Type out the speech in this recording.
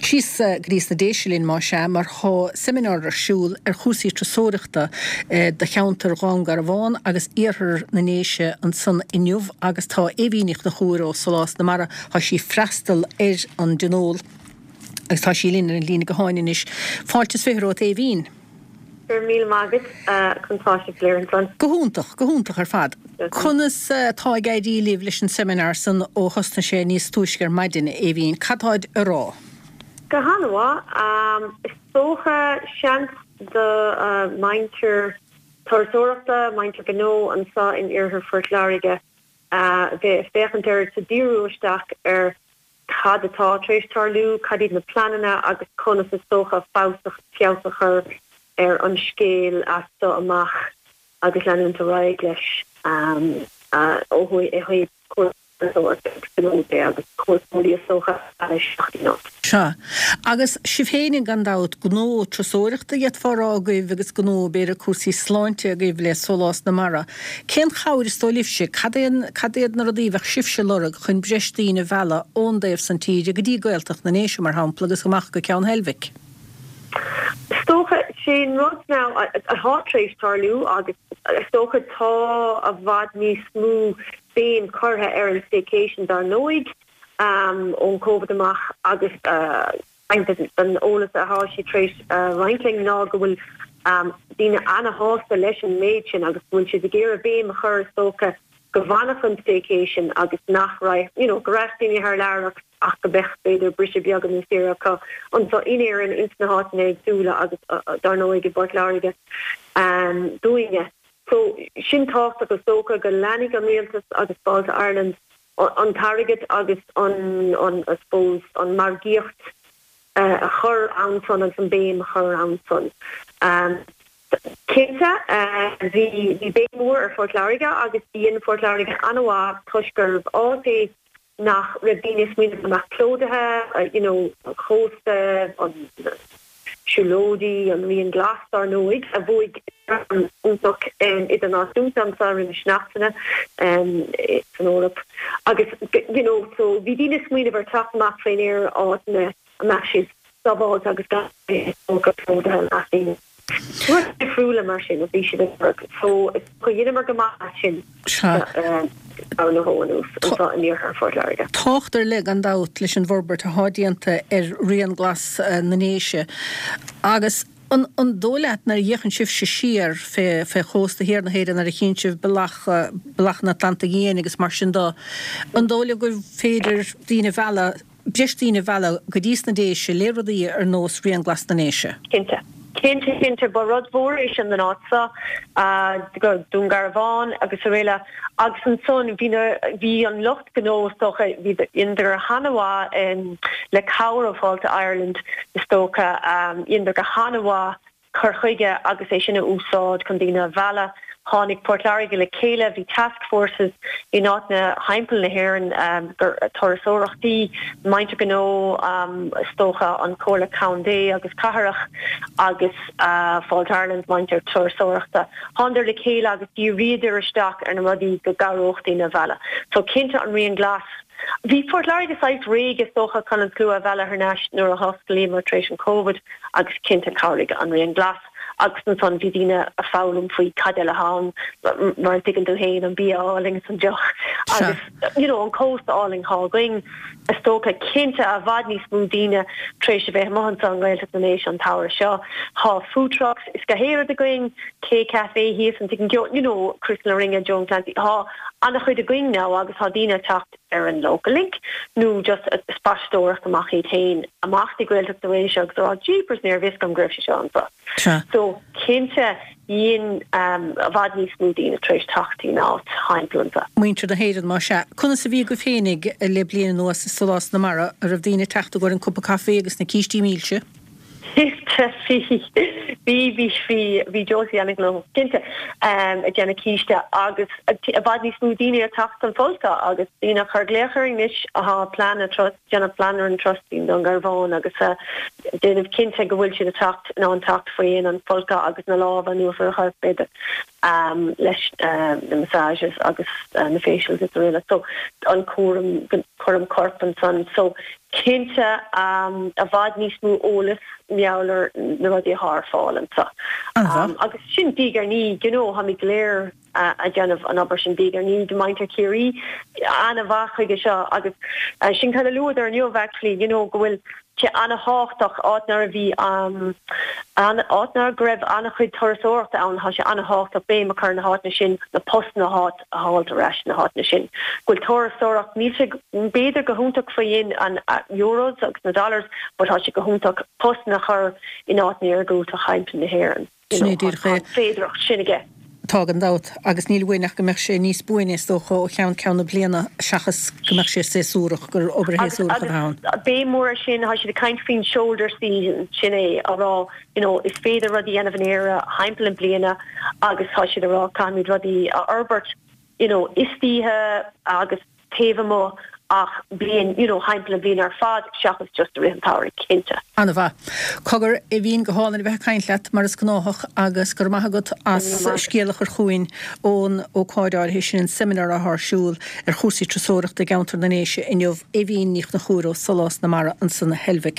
Síos go dtí sna Déise linn más ea, mar tá seimineár ar siúl ar chúrsaí turasóireachta do cheantar Dhún Garbhán agus iarthar na nDéise ansan inniu agus tá Aoibhín Ní Chonchúir ó Solás na Mara, tá sí ag freastal ar an dtionól agus tá sí linn ar an líne gutháin anois. Fáilte is 20 romhat Aoibhín. Go raibh míle maith agat, conas tá sibh go léir ansan? Go hiontach, go hiontach ar fad. Conas atá ag éirí libh leis an seimineár san ó thosnaigh sé níos túisce ar maidin, a Aoibhín? Cad táid a rá? Go han-mhaith. Is dócha, seans do mhuintir turasóireachta, muintir gnó anso in iarthar Phort Láirge a bheith ag féachaint air is ag díriú isteach ar cad atá tar éis tarlú, cad iad na pleananna agus conas is dócha feabhas a chur ar an scéal as seo amach agus leanúint ar aghaidh leis ó thaobh cúrsaí turasóireachta agus gnó de agus cuairteoirí is dócha a mhealladh isteach dtí'n áit. Sea. Agus sibh féin, gan dabht, gnó turasóireachta d'fhéadfá a rá agaibh agus gnó, b'fhéidir, cúrsaí sláinte agaibh le Sólás na Mara. Cén chabhair is dóigh libhse, cad é, cad iad na rudaí a bheadh sibhse ag lorg chun breis daoine a mhealladh ón dtaobh san tíre go dtí Gaeltacht na nDéise, mar shampla, agus amach go Ceann Heilbhic? Is dócha, sé an rud now atá tar éis tarlú agus is dócha tá i bhfad níos mó béim curtha ar an staycation dar ndóigh ón Covid amach agus roinnt den eolas atá siad tar éis roinnt linn ná go bhfuil daoine ana-shásta leis an méid sin agus go bhfuil siad ag iarraidh béim a chur is dócha go bhfanfadh an staycation agus nach raibh, you know, go raibh daoine thar lear ach ach go mbeadh b'fhéidir briseadh beag nó saoire acu anseo in Éirinn ins na háiteanna éagsúla agus dar ndóigh i bPort Láirge dúinne. So sin tábhachtach is dócha go leanfaidh an rialtas agus Fáilte Ireland an t-airgead agus an, an, I suppose, an margaíocht a chur ann san agus an béim a chur ann san. Cinnte, bhí, bhí béim mhór ar Phort Láirge agus dhein Port Láirge an-mhaith toisc gurbh áit é nach raibh daoine ag smaoineamh go mbeadh plódaithe, you know, an chósta, an siúlóidí, an Rian Glas dár ndóigh, a bhuaigh gradam iontach idirnáisiúnta anseo roimis seachtaine san Eoraip agus you know so bhí daoine ag smaoineamh ar teacht amach faoin aer áiteanna a mbeadh siad sábháilte agus gan bheith plódaithe le daoine. Rudaí difriúla mar sin a bhí siad ag lorg. So dheineamar go maith as sin dar ndóigh anuas anseo in iarthar Phort Láirge. Tábhacht ar leith gan dabht leis an bhforbairt atá déanta ar Rian Glas na nDéise agus an an dóigh leat nuair a fhéachann sibhse siar fé fé chósta thiar na hÉireann nuair a chíonn sibh bealach bealach an Atlantaigh Fhiáin agus mar sin de, an dóigh libh gur féidir daoine a mhealladh breis daoine a mhealladh go dtí sna Déise le rudaí ar nós Rian Glas na nDéise. Cinnte. Cinnte, cinnte. Ba rud mhór é sin don áit seo, go Dún Garbhán agus araile. Agus ansan bhí na, bhí an lucht gnó is dócha, bhí, dheineadar han-mhaith le cabhair ó Fáilte Ireland is dócha, dheineadar go han-mhaith cur chuige agus é sin a úsáid chun daoine a mhealladh. Tháinig Port Láirge le chéile, bhí task forces in áiteanna thimpeall na hÉireann, turasóireachtaí, muintir gnó, is dócha an Comhairle Contae agus Cathrach agus Fáilte Ireland, muintir turasóireachta. Thánadar le chéile agus dhíríodar isteach ar na rudaí go gcabhródh daoine a mhealladh. So cinnte an Rian Glas. Bhí Port Láirge saghas réidh is dócha chun an slua a mhealladh thar n-ais nuair a hosclaíomar tar éis an Covid agus cinnte chabhraigh an Rian Glas agus ansan bhí daoine a foghlaim faoi cad eile atá ann mar a tuigeann tú féin an bia álainn is an deoch agus you know an cósta álainn atá againn. Is dócha cinnte i bhfad níos mó daoine tar éis a bheith amuigh anseo i nGaeltacht na nDéise an tsamhradh seo. Tá food trucks is gach aon rud againn, K Cafe thíos an tigh you know Crystal na Rinne, Joan Clancy, tá an-chuid againn now agus tá daoine ag teacht ar an local link nó just ag spaisteoireacht amach iad féin amach dtí Gaeltacht na nDéise agus a rá jeepers níorbh fhios agam go raibh sé seo anseo. Sea. So cinnte dhein i bhfad níos mó daoine tar éis teacht dtí'n áit thimpeall anseo. Muintir na hÉireann más ea. Conas a bhí agaibh féinig le bliain anuas i Solás na Mara? An raibh daoine ag teacht i gcomhair an cupa caife agus na cístí milse? Cinnte, bhí, bhí, bhí, bhí, bhí Josie an-ghnóthach, cinnte, ag déanamh císte agus i bhfad níos mó daoine ag teacht don folcadh agus daoine ag cur glaoch orainn anois atá plean an turas, déanamh plean ar an turas dtí Dún Garbhán agus déanamh cinnte go bhfuil siad ag teacht, in ann teacht faoi dhéin an folcadh agus na lámha anuas ar a chorp b'fhéidir leis na massages agus na facials is araile. So an cúram, cúram coirp ansan. So. Cinnte, i bhfad níos mó eolas mar gheall ar na rudaí athá ar fáil anso. Agus sin diaidh ar ndiaidh, you know, táimid go léir a' déanamh an obair sin diaidh ar ndiaidh, muintir Chiarraí ana-mhaith chuige seo agus sin cad a luadar inniu actually, you know, go bhfuil sé ana-thábhachtach áit nuair a bhí an, áit nuair go raibh ana-chuid turasóireachta ann, tá sé ana-thábhachtach béim a chur ar na háiteanna sin, na postanna a a fháilt ar ais sna háiteanna sin. Go bhfuil turasóireacht, níl sé b'fhéidir go hiontach faoi dhéin an euros agus na dollars but tá sé go hiontach postanna a chur in áiteanna iargúlta thimpeall na hÉireann. You Sin é know, díreach tá é. an féidearthacht sin aige. Tá gan dabht, agus níl uainn ach go mbeadh sé níos buaine is dócha ó cheann ceann na bliana seachas go mbeadh sé séasúrach, gur obair Agus, shéasúrach a agus bheadh ann. béim mhór air sin, tá siad ag caint faoin shoulder season, sin é, á rá you know is féidir rudaí a dhéanamh in Éire thimpeall na bliana agus tá siad ag rá caithfimid rudaí a fhorbairt you know istoíche agus taobh amuigh ach bliain you know thimpeall na bliana ar fad seachas just i rith an tsamhraidh, cinnte. An-mhaith. Cogar, Aoibhín, go hálainn a bheith ag caint leat mar is gnáthach agus go raibh maith agat as scéal a chur chugainn ón ócáid áirithe sin, an seimineár atá ar siúl ar chúrsaí turasóireachta i gceantar na nDéise inniu. Aoibhín Ní Chonchúir ó Solás na Mara ansan i Heilbhic.